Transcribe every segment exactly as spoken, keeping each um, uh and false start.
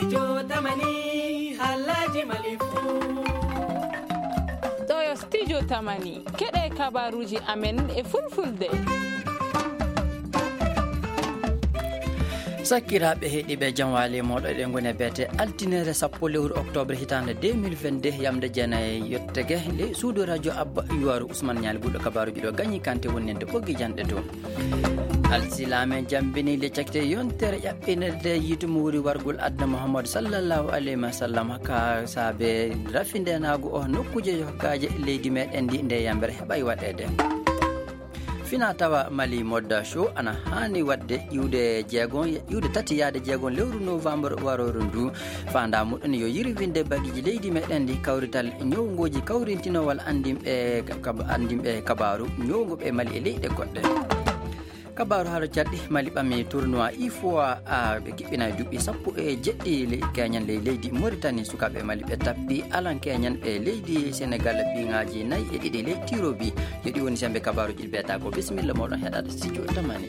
Studio Tamani, halaji Mali fu. Ɗo yo Studio Tamani, keɗe kabaruji amen e fulfulde. Sakkiraaɓe heɗiiɓe, jam waali e mooɗon. Eɗen ngoni e beete altinere sappo lewru octobre hitaande deux mille vingt-deux, yamde jeenayi yottege, le suudu radio Abba Yuwaaru Usman Ñaali Ɓulɗo. Kabaaruji ɗo gañi kante wonninde ɓoggi janɗe dow. Alsilaame jambini le cakite yontere ƴaɓɓinirde yiitu mo wuri wargol aduna Muhammadu sallallahu alayhi wa sallam ka saabe rafindenaagu o nokkuje yokkaaje leydi meɗen ndi nde yambere heɓay waɗeede. Fina tawa Mali Modda Show ana haani waɗde iwde jeegon, iwde tati yaade jeegon lewru novembre warooru ndu. Faandaa muɗum yo yirwinde bagiji leydi meɗen ndi kawrital ñowngooji kawrintinowal anndinɓe kab-, anndinɓe kabaaru ñowngo ɓe Mali e leyɗe goɗɗe. Kabaaru haala caɗɗi Mali ɓami tournoi I F O A, ɓe kiɓɓina e duuɓi sappo e jeɗɗi le-, keñen ley leydi Mauritanie. Sukaaɓe Mali ɓe tappi alan keñen ɓe leydi Senegal piŋaaji nayi e ɗiɗi ley tirobi. Yo ɗi woni sembe kabaaruji ɗi beeta ko. Bisimilla moɗon heɗaade studio Tamani.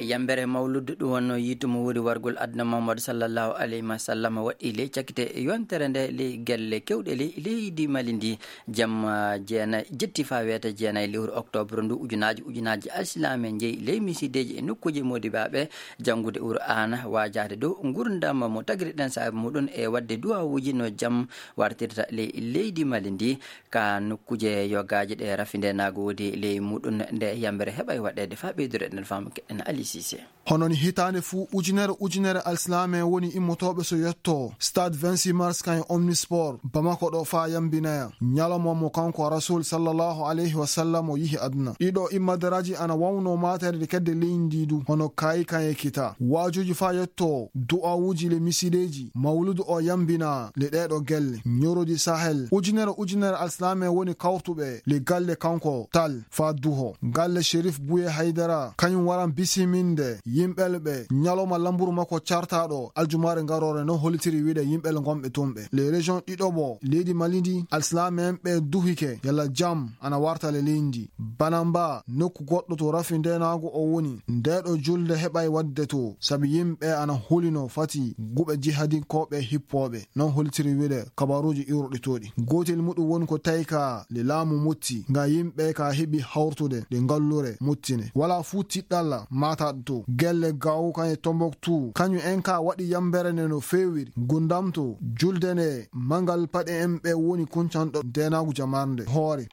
Yambere mawludu ɗum wonno yiitu mo wuri wargol aduna Muhammadu sallallahu alayhi wa sallam waɗi ley cakite yontere nde ley gelle kewɗe ley leydi Mali ndi. Jamma jeenayi jetti faa weeta jeenayi lewru octobre ndu, ujunaaji ujunaaji alsilaame njeyi ley misideeji e nokkuuji modibaaɓe janngude Qur'aana, waajaade dow ngurndan mo tagriɗen saabe muɗum e waɗde duwawuuji no jam wartirta ley leydi Mali ndi. Ka nokkuuje yogaaji ɗe rafindenaagu woodi ley muɗum nde yambere heɓay waɗeede. Faa ɓeydude ɗen faamu keɗen Ali Cissé. Hono ni hitaande fuu, ujunere ujunere alsilaame woni immotooɓe so yetto Stade vingt-six Mars kan e Omnisport Bamako ɗo faa yambinaya ñalawma mo kanko Rasul sallallahu alayhi wa sallam o yihi aduna. Ɗiɗo immadaraaji ana wawno maatere kedde leydi ndi du, hono kaayi kan e kita. Waajuuji faa yetto du'awuuji le misideeji, mawludu o yambina le ɗeeɗo gelle. Ñorodi Sahel, ujunere ujunere alsilaame woni kawtuɓe le galle kanko Tal faa duho. Galle Sherif Buye Haydara, kañum waran bisiminde yimɓel ɓe ñalawma lamburu makko cartaaɗo aljumaare ngaroore, no hollitiri wiide yimɓel ngonɓe tun ɓe. Les régions ɗiɗo bo leydi Mali ndi, alsilaame en ɓe duhike yalla jam ana warta le leydi. Banamba, nokku goɗɗo to rafindenaagu o woni, ndeeɗo julde heɓay waɗde to, sabi yimɓe ana hulino fati guɓe jihadinkooɓe hippooɓe. Non holtiri wiide kabaruuji iwruɗi toɗi. Gootel muɗum woni ko tawi ka le laamu mutti, nga yimɓe ka heɓi hawrtude ɗe ngallure muttine. Wala fuu tiɗɗalla maataɗo to. Gelle Gao kan e Tombouctou, kañum en ka waɗi yambere nde no feewiri. Gundam to julde nde mangal paɗe en ɓe woni kuncanɗo denaagu jamarnde hoore.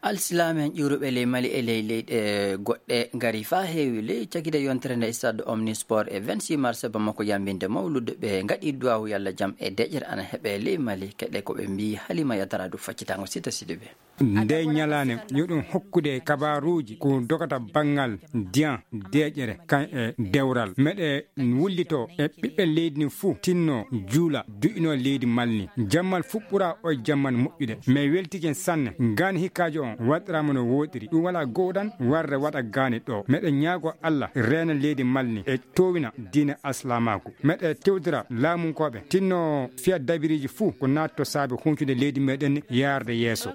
Alsilaame en ƴuuruɓe ley Mali e ley leyɗe goɗɗe ngari faa heewi ley cakite yontere nde Stade Omnisport e vingt-six mars Bamako yambinde mawlude ɓe ngaɗi duwaawu yalla jam e deƴƴere ana heɓe ley Mali. Keɗe ko ɓe mbii Halima Yatara du faccitango Sita Sidibe. Nde ñalaande yo ɗum hokkude kabaaruuji ko dogata banngal diyan deƴƴere kan e dewral. Meɗe wullito e ɓiɓɓe leydi ni fuu tinno juula du'ino leydi Mali ni. Jammal fuɓɓura o jamman moƴƴude. Mais weltigen sanne. Gaani hikkaajo on waɗiraama no wooɗiri. Ɗum wala gowɗan warre waɗa gaani ɗo. Meɗe ñaago Allah reena leydi Mali ni e towina diine alsilaamaaku. Meɗe tewdira laamunkooɓe tinno fiya dabiriiji fuu ko naatto saabe huncude leydi meɗen yaarde yeeso.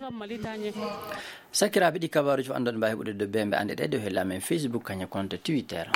Sakiraaɓe, ɗi kabaaruuji fof anndon mbaawi heɓude dow bee mbe annde ɗe dow hella men Facebook, kañum konto Twitter.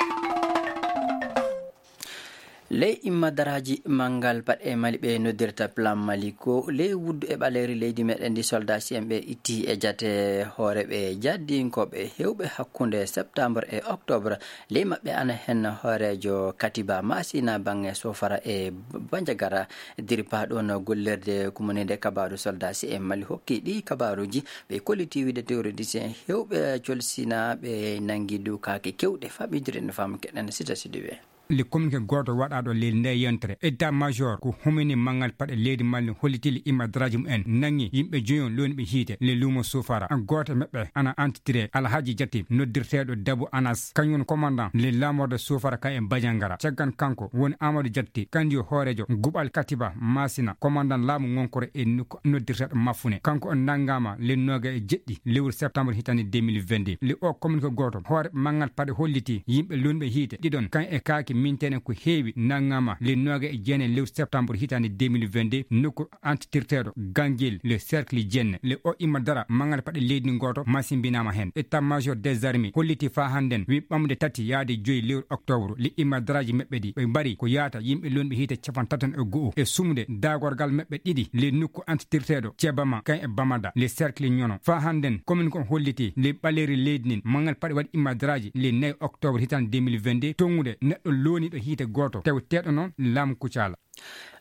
Ley immadaraaji manngal paɗe Mali ɓe noddirta Plan Mali ko ley wuddu e ɓaleeri leydi meɗen ndi soldat C M ɓe itti e jate hoore ɓe jaddinkooɓe heewɓe hakkunde septembre e octobre. Ley maɓɓe ana hen hooreejo Katiba Masina baŋŋe Sofara e Banjagara. Diripa ɗon gollirde kumuninde kabaaru soldat C M Mali hokki ɗi kabaaruuji. Ɓe kolliti wiide terroriste en heewɓe colsinaaɓe nanngi dukaaki kewɗe. Faɓidire no faamu keɗen Sita Sidibe. Le communiqué gooto waɗaaɗo leydi nde yontere, état major ko humini manngal paɗe leydi Mali holliti le immadaraaji mumen nanngi yimɓe joyon looniɓe hiite le luumo Sofara. Gooto e maɓɓe ana antitire Alhaji Jatti noddirteeɗo Dabu Anas, kañum woni commandant le lamorde Sofara ka e Bajangara. Caggan kanko woni Amadou Jatti, kandiyo hooreejo guɓal Katiba Masina, commandant laamu ngonkore e nokku noddirteeɗo Mafune. Kanko on nanngaama le nooga e jeɗɗi lewru septembre hitande deux mille vingt-deux. Le o communiqué gooto, hoore manngal paɗe holliti yimɓe looniɓe hiite ɗiɗon kan e kaaki Mintene ko heewi nanngama le nooga e jeenayi lewru septembre hitaande deux mille vingt-deux, nokku antitirteeɗo Gangel, le cercle Jenne. Le o imma dara manngal paɗe leydi gooto masimbinaama heen. État-major des armées holliti faa hannden wi ɓamde tati yaade joyi lewru octobre, le imma daraaji maɓɓe ɗi ɓe mbari ko yaata yimɓe lonɓe hiite capanɗe tati e go'o e sumude daagorgal maɓɓe ɗiɗi le nokku antitirteeɗo Cebama kan e Bamada, le cercle Ñono. Faa hannden commune ko holliti le ɓaleeri leydi ndin manngal paɗe waɗi imma daraaji le nayi octobre hitaande deux mille vingt-deux, tongude neɗɗo looniiɗo hiite gooto, tawi teeɗo noon laamu Kucala.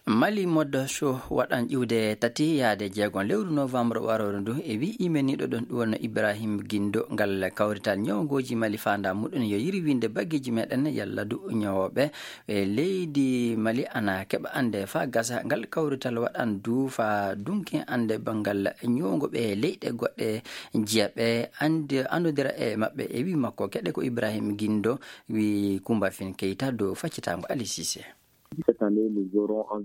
Mali Mode Show waɗan ƴiwde tati yaade jeegon lewru novembre warooru ndu, e wi imeniiɗo ɗon ɗum wonno Ibrahim Gindo. Ngal kawrital ñawngooji Mali faanda muɗum yo yirwinde baggeeji meɗen yalla du ñawooɓe e leydi Mali ana keɓa annde faa gasa. Ngal kawrital waɗan du faa dunki annde banngal ñawngo ɓe leyɗe goɗɗe, jiya ɓe annde, anndodira e maɓɓe. E wi makko keɗe ko Ibrahim Gindo wi Kumba Fin Keita dow faccitaango Ali Cissé.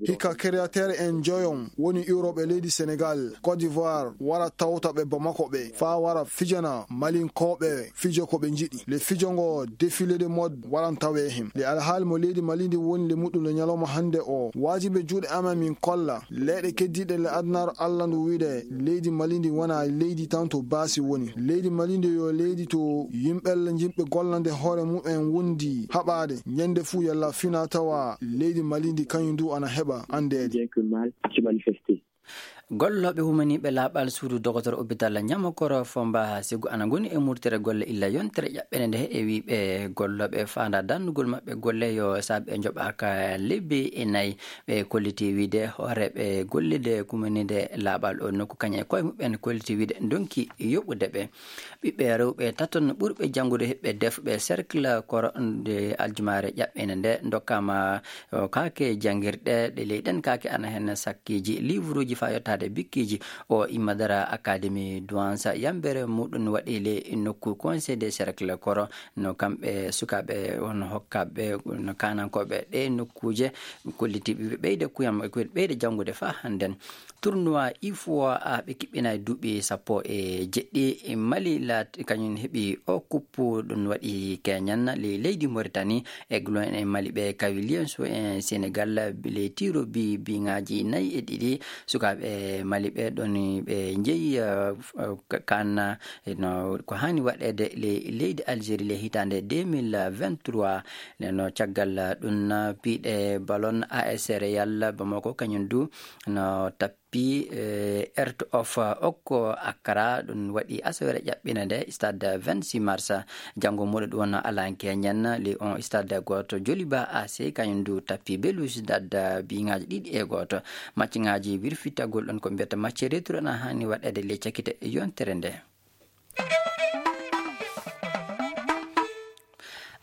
Hikka créateur en joyon woni iwroɓe leydi Sénégal, Côte d'Ivoire, wara tawta ɓe Bamako ɓe, faa wara fijana Malinkooɓe fijo ko ɓe njiɗi. Le fijo ngo défilé de mode waran tawe hen. Le alhaali mo leydi Mali ndi woni le muɗum le ñalawma hannde o. Waajibe juuɗe amen min kolla leyɗe keddiiɗe le adunaaru Allah ndu wiide leydi Mali ndi wona leydi tan to baasi woni. Leydi Mali ndi yo leydi to yimɓe le yimɓe gollande hoore mumen wondi haɓaade. Ñande fuu yalla fina tawa leydi Mali ndi kañum du ana heɓa anndeede. Gollooɓe humaniiɓe laaɓal suudu dogotor opital Ñamokoro Fomba Segu ana ngoni e murtere golle illa yontere ƴaɓɓere nde e wiiɓe gollooɓe faanda dannugol maɓɓe golle yo saabe njoɓaaka lebbi e nayi. Ɓe kolliti wiide hooreeɓe gollide kumanide laaɓal o nokku kañe koye muɓɓen kolliti wiide ndonki yoɓude ɓe. Ɓiɓɓe rewɓe taton ɓurɓe janngude heɓɓe defɓe cercle koro nde aljumaare ƴaɓɓende nde ndokkaama, o, kaake janngirɗe ɗe leyɗen kaake ana heen sakkiiji, liivuruuji faa yottaade bikkiiji. O imma dara Académie Douanza yambere muɗum waɗi le nokku Conseil des cercles koro no kamɓe sukaaɓe won hokkaaɓe no kaanankooɓe ɗe nokkuuje kollitiiɓe ɓeyde kuyam, ɓeyde janngude faa hannden. Tournoi ifo a ɓe kiɓɓina e duuɓi sappo e jeɗɗi. Mali laat kañum heɓi o kuppu ɗum waɗi keñan le leydi Mauritanie e gulon e Mali ɓe kawi Lienso e Sénégal le tiro bi biŋaaji nayi e ɗiɗi. Sukaaɓe Mali ɓe ɗon ɓe njeyi kan no ko haani waɗeede le leydi Algérie le hitaande deux mille vingt-trois. Neno caggal ɗum piiɗe ballon A S Real Bamako kañum du no tappi Heart of Oak Accra. Ɗum waɗi asaweere ƴaɓɓinande stade vingt-six mars. Janngo muɗo ɗum wonno Alan Kenyan li on stade gooto Joliba A C kañum du tappi Belouizdad biŋaaji ɗiɗi e gooto. Macciŋaaji wirfitagol ɗon ko mbiyata macce retour ana haani waɗeede le cakite yontere nde.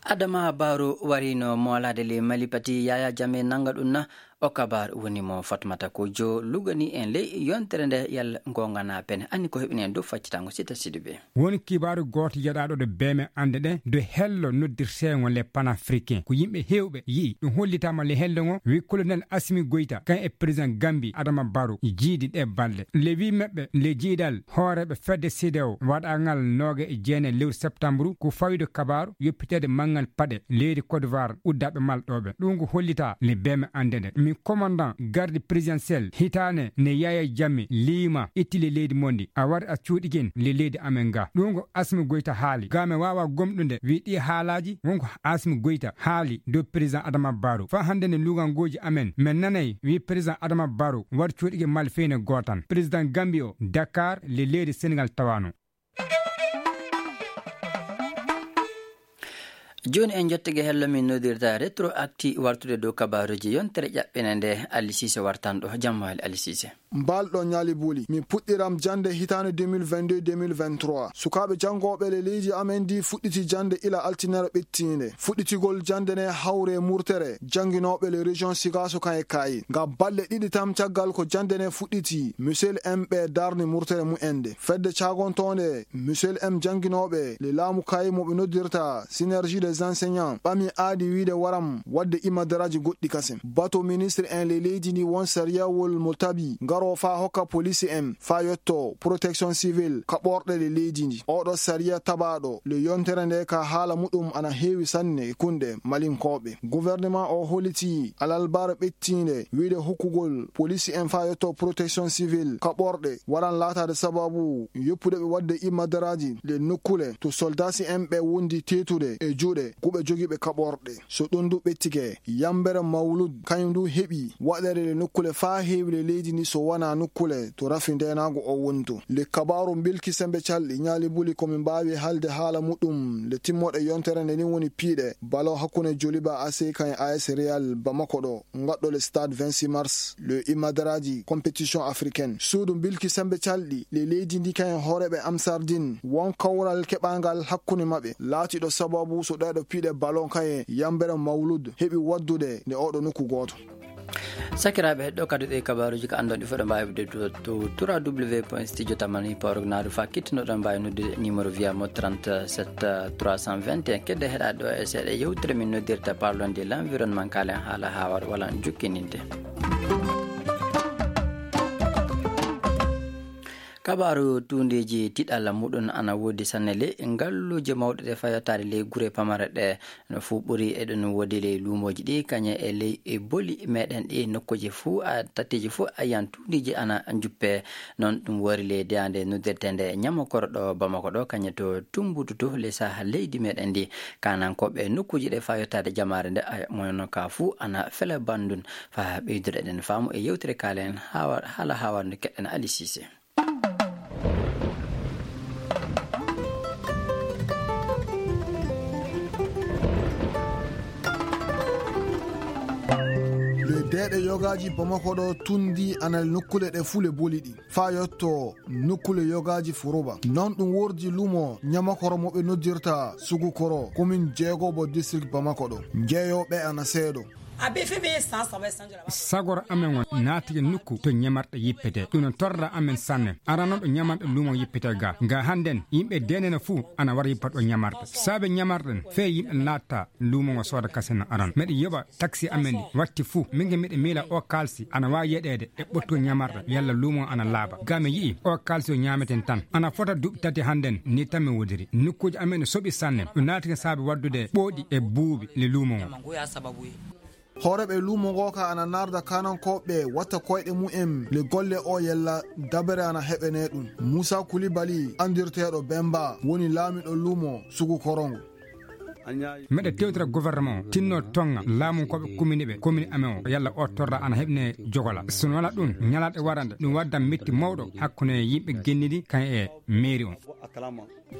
Adama Baro warino moolaade le Mali pati Yaya Jammeh nanga ɗum na. O kabar woni mo Fatmata Kojo lugani en ley yontere nde yalla ngongana pene anni ko heɓini en dow faccitango Sita Sidibe. Woni kibaaru gooto yeɗaaɗo ɗo beeme annde ɗe do hello noddirteego le panafricain ko yimɓe heewɓe yi'i ɗum hollitaama le hello ngo wi colonel Asimi Goyta kan e président Gambi Adama Baro jiidi ɗe balɗe le wi maɓɓe le jiidal hooreeɓe fedde C D A O waɗangal nooga e jeenayi lewru septembre ko fawde kabaaru yoppiteede manngal paɗe leydi Côte d'Ivoire uddaaɓe malɗooɓe. Ɗum ko hollita le beeme annde nde. Min commandant garde présidentielle hitaane ne Yaya Jammeh liima itti le leydi mondi a wari a cuuɗikin le leydi amen ga. Ɗum ko Asimi Goyta haali. Ga mi waawa gomɗude wi ɗi haalaaji wonko Asimi Goyta haali dow président Adama Baro. Fa hannde ne lugangoji amen men nanay wi président Adama Baro wari cuuɗike malfeyne gootan. Président Gambie o Dakar le leydi Sénégal tawano. Jooni en jottike hello min nodirta rétroacti wartude dow kabaruji yontere ƴaɓɓene nde Ali Cissé wartan ɗo. Jammaali Ali Cissé. Mbalɗo ñaali buuli. Min puɗɗiram jannde hitaande deux mille vingt-deux deux mille vingt-trois. Sukaaɓe janngooɓe le leydi amen ndi fuɗɗiti jannde ila altinere ɓettiinde. Fuɗɗitigol jannde ne hawre murtere jannginooɓe le région Sigaso kan e Kaayi. Ngam balɗe ɗiɗi tan caggal ko jannde ne fuɗɗiti, Michel M ɓe darni murtere mu'en nde. Fedde caagontoonde Michel M jannginooɓe le laamu Kaayi mo ɓe noddirta Synergie des enseignants ɓami aadi wiide waram waɗde imadaraaji goɗɗi kasen. Bato ministre en le leydi ndi won sariyawol mo tabi Aro faa hokka polisi en faa yotto protection civil kaɓorɗe ɗe leydi ndi. Oɗo sariya taɓaaɗo le yontere nde ka haala muɗum ana heewi sanne e kunɗe malinkooɓe. Gouvernement o holiti alalbar ɓettiinde wiide hokkugol polisi en faa yotto protection civil kaɓorɗe waran laataade sababu yoppude ɓe waɗde imadaraaji le nokkule to soldasi en ɓe wondi teetude e juuɗe kuɓe jogiiɓe kaɓorɗe. So ɗum du ɓettike, yambere Mawlud kañum du heɓi waɗeede le nokkule faa heewi le leydi ndi so wonaa nokkule to rafi ndeenaagu o wontu. Le kabaaru mbilki sembe calɗi ñaali buli ko min mbaawi haalde haala muɗum le timmoɗe yontere nde ni woni piiɗe balo hakkunde Joliba A C kañum A S Real Bamako ɗo ngaɗɗo le stade vingt-six mars le imadaraaji compétition africaine. Suudu mbilki sembe calɗi le leydi ndi kañum hooreeɓe Amsardin won kawral keɓangal hakkunde maɓɓe laatiɗo sababu so ɗeeɗo piiɗe ballon kaye yambere Mawlud heɓi waddude nde oɗo nokku gooto. Sakiraaɓe, ɗo kadi ɗe kabaaruuji ko anndon ɗi fof ɗo mbaawi ɗe to, to trois W point studio tamani pawrok naadu fa kittunoɗon mbaawi noddude numéro via mo trente-sept trois cent vingt et un. Kedde heɗa ɗo e seeɗa yewtere min noddirta parlon de l'environnement kalen haala haawar wala jukkininde. Kabaaru tuundeeji tiɗalla muɗum ana woodi sanne le ngalluuje mawɗe ɗe fayotaade ley gure pamare ɗe. No fuu ɓuri eɗen woodi ley luumooji ɗi, kañe e ley e boli meɗen ɗi, nokkuuji fuu, a, tatteeji fuu, a yiyan tuundeeji ana njuppe. Noon ɗum wari ley deyaande noddirteende Ñamokoro ɗo Bamako ɗo, kañe to Tumbutu to ley saha leydi meɗen ndi. Kaanankooɓe nokkuuji ɗe faa yottaade jamaare nde, a, mono ka fuu ana fela banndun. Faa ɓeydude eɗen faamu e yewtere kaalen hawa-, haala haawarnde keɗen Ali Sise. Le deeɗe yogaaji Bamako ɗo tundi ana nokkuule ɗe fuu le boli ɗi. Faa yotto nokkuule yogaaji Furuba. Noon ɗum wordi lumo Ñamakoro mo ɓe noddirta Sugukoro, komin jeegobo district Bamako ɗo. Njeeyooɓe ana seeɗo. Sagoro amen on naatike nokku to ñamarɗe yippete. Ɗum no torra amen sanne. Arano ɗo ñamarɗe lumo yippete ga. Nga hannden, yimɓe denene fuu ana wara yippa ɗo ñamarɗe. Saabe ñamarɗen, fee yimɓe laatta lumo ngo sooda kasen no aran. Meɗe yoɓa taksi amen ɗi. Watti fuu, min ge miɗe miila o kaalsi ana waawi yeɗeede e ɓottu ñamarɗe yalla lumo ana laaba. Ga mi yi'i o kaalsi o ñaameten tan. Ana fota duuɓi tati hannden, ni tan mi wodiri. Nokkuuji amen no soɓi sanne. Ɗum naatike saabe waddude ɓooɗi e buuɓi le lumo ngo. Hooreeɓe luumo ngoo ka ana narda kaanankooɓe watta koyɗe mumen le golle o yella dabere ana heɓene ɗum. Muusa Kulibali, anndirteeɗo Bemba, woni laamiɗo luumo Sugu Korongo. Meɗe tewtira gouvernement o, tinno tonga laamunkooɓe komini ɓe, komini amen o, yalla o torra ana heɓne jogola. So wala ɗum, ñalaaɗe warande, ɗum waddan metti mawɗo hakkunde yimɓe gennidi kan e mairie on.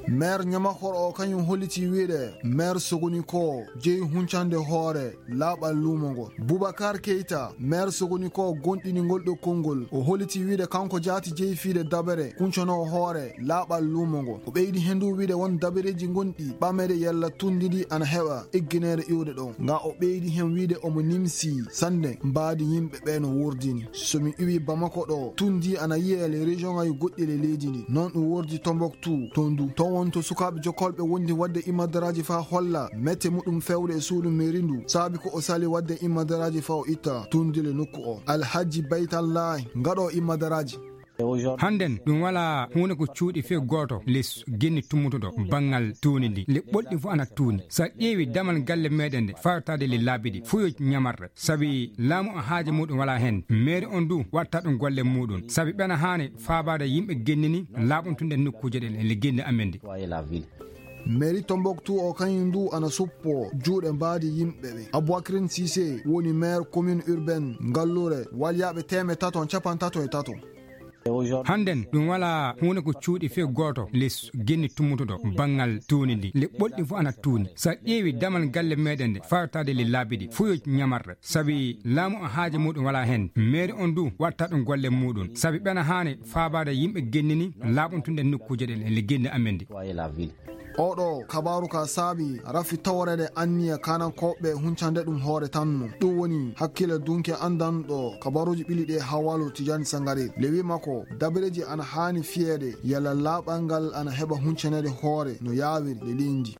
Maire Ñamakoro o kañum holliti wiide maire Sogoni ko jeyi huncande hoore laaɓal luumo ngo. Boubacar Keita, maire Sogoni ko gonɗini ngol ɗo konngol, o holliti wiide kanko jaati jeyi fiide dabere kuncanoo hoore laaɓal luumo ngo. O ɓeydi heen du wiide won dabereeji gonɗi ɓamede yalla tunndidi ana heɓa eggineede iwde ɗo. Nga o ɓeydi heen wiide omo nimsi sanne mbaadi yimɓe ɓe no wurdini. So mi iwi Bamako ɗo, tundi ana yiye le région ngaji goɗɗi le leydi ndi. Noon ɗum wordi Tombouctou, toon du. Toon won to sukaaɓe jokkolɓe wondi waɗde imadaraaji faa holla mette muɗum fewde e suudu mairie ndu. Saabi ko o sali waɗde imadaraaji faa o itta tundi le nokku o. Alhaji Baytallahi, ngaɗo imadaraaji. Hannden, ɗum walaa huunde ko cuuɗi fee gooto les genni tummutuɗo banngal tuuni ndi. Le ɓolɗi fof ana tuuni. So a ƴeewi damal galle meɗen nde, fawtaade le laabi ɗi, fuu yo ñamarɗe. Sabi laamu o haaje muɗum walaa heen. Mairie on du watta ɗum golle muɗum. Sabi ɓena haani faabaade yimɓe gennini laaɓuntunde nokkuuje ɗen e le genni amen ndi. Mairie Tombouctou o kañum du ana suppo juuɗe mbaadi yimɓe ɓe. Aboubacrine Cissé woni maire commune urbaine Ngallure, walyaaɓe teemeɗɗe tato capanɗe tato e tato. Hannden, ɗum walaa huunde ko cuuɗi fee gooto les genni tummutuɗo banngal tuuni ndi. Le ɓolɗi fof ana tuuni. So a ƴeewi damal galle meɗen nde, fawtaade le laabi ɗi, fuu yo ñamarɗe. Sabi laamu o haaje muɗum walaa heen. Mairie on du watta ɗum golle muɗum. Sabi ɓena haani faabaade yimɓe gennini laaɓuntunde nokkuuje ɗen e le genni amen ndi. Oɗo kabaaru ka saabi rafi taworeede anniya kaanankooɓe huncande ɗum hoore tan no. Ɗum woni hakkille dunke anndanɗo kabaaruuji ɓili ɗe Hawalu Tijani Sangare. Le wi makko, dabareeji ana haani fiyeede yalla laaɓal ngal ana heɓa huncaneede hoore no yaawiri le leydi.